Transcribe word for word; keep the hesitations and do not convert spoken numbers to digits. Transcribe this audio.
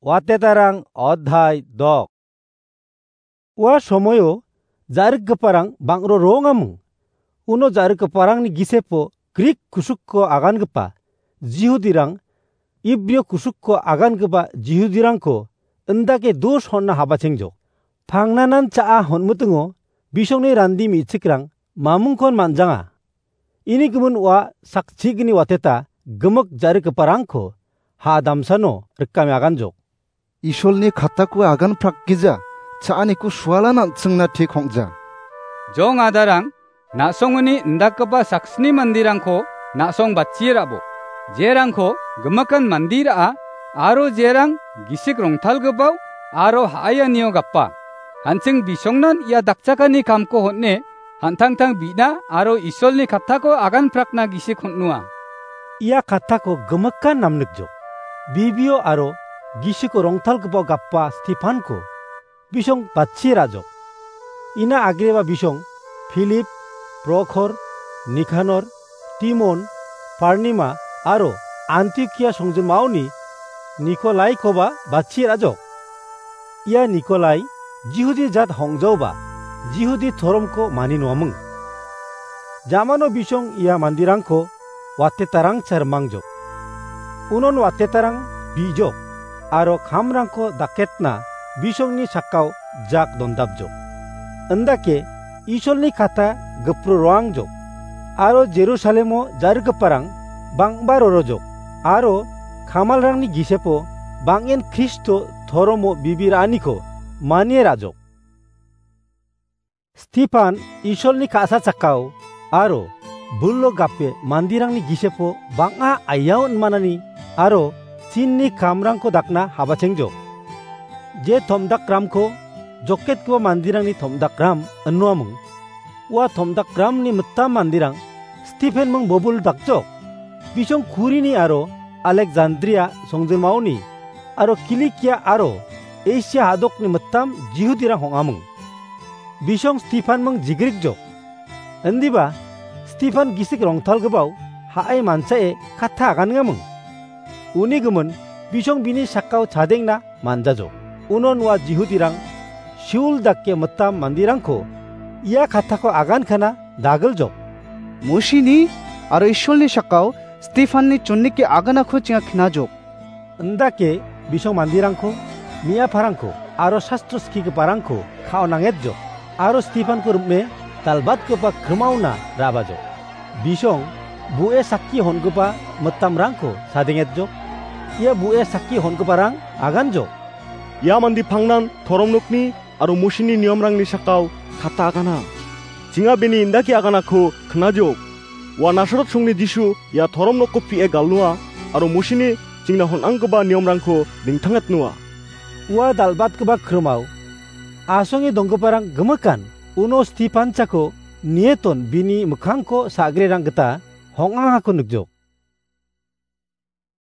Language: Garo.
Watetarang odhai dok. Ua somoio ja·rikgiparang bang·ro roongaming. Uno ja·rikgiparangni gisepo Grik kusukko agangipa Jihudirang, Ibrio kusukko agangipa Jihudirangko indake dos honna habachengjok. Pangnanan cha·a honmitingo bisongni randi me·chikrang mamingkon man·janga. Ini gimin ua sakchigni wateta gimik ja·rikgiparangko ha damsano rikame aganjok. Isolni katako agan prakgija, cha·aniko sualan an·chingna tik ong·ja. Jong adarang, na·songoni indakgipa saksni manderangko na·song batchie ra·bo. Jerangko gimikan mande ra·a, aro jerang gisik rongtalgipao aro ha·aianio gapa. An·ching bisongnan ia dakchakani kamko hon·e, han·tangtang bi·na aro Isolni katako agan prakna gisik hon·noa. Ia katako gimikan namnikjok. Bibio aro gisiko rongtalgipao gapa Stefanko bisong batchie ra·jok. Ina agreba bisong Filip, Prokhor, Nikanor, Timon, Parnima aro Antiokia songjinmaoni Nikolaikoba batchie ra·jok. Ia Nikolai Jihudi jat hong·jaoba Jihudi toromko mani noaming. Jamano bisong ia manderangko watetarangcha rimangjok. Unon watetarang bi·jok aro kamrangko daketna bisongni sakao jak dondapjok. Indake Isolni kata gipro roangjok. Aro Jerusalemo ja·rikgiparang bang·ba rorojok. Aro kamalrangni gisepo bang·en Kristo toromo bibi ra·aniko manie ra·jok. Stefan Isolni ka·sa chakao aro bulo gape manderangni gisepo bang·a aiao inmanani aro chinni kamrangko dakna habachengjok. Je tom·dakramko joketgipa manderangni tom·dakram inoaming. Ua tom·dakramni mitam manderang Stefan ming bobul dakjok. Bisong Kurini aro Alekjandria songjinmaoni aro Kilikia aro Asia hadokni mitam Jihudirang hong·aming. Bisong Stefan ming jigrikjok. Indiba Stefan gisik rongtalgipao ha·e manchae katta aganengaming. Uni gimin bisong bini sakao chadengna manjajok. Unon ua Jihudirang Siul dake mitam manderangko ia katako agankana dagiljok. Musini aro Isolni sakao Stefanni chonnike aganako chinga knajok. Indake bisong manderangko, me·aparangko aro sastro skigiparangko ka·o nangetjok. Aro Stefanko rim·e dalbatgipa krimaona ra·bajok. Bisong bu·e sakki hongipa mitamrangko sadengetjok. Ia bu·e sakki hongiparang aganjok. Ia mande pangnan toromnokni aro Mosini niomrangni sakao katta agana. Chinga bini indake aganako knajok. Ua Nasaret songni Jisu ia toromnokko pie galnoa aro Mosini chingna hon·anggipa niomrangko ningtangatnoa. Ua dal·batgipa krimao asonge donggiparang gimikan. Uno Stefan chako nieton bini mikkangko sa·grerang gita hong·angako nikjok.